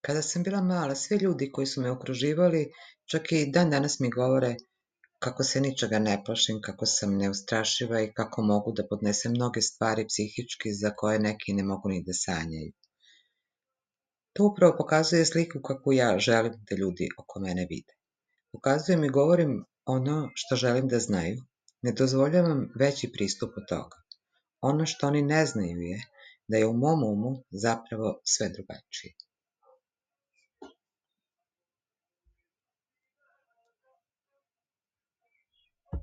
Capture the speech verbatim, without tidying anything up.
Kada sam bila mala, svi ljudi koji su me okruživali, čak i dan danas mi govore kako se ničega ne plašim, kako sam neustrašiva i kako mogu da podnesem mnoge stvari psihički za koje neki ne mogu ni da sanjaju. To upravo pokazuje sliku kakvu ja želim da ljudi oko mene vide. Pokazujem i govorim ono što želim da znaju, ne dozvoljavam veći pristup od toga. Ono što oni ne znaju je da je u mom umu zapravo sve drugačije.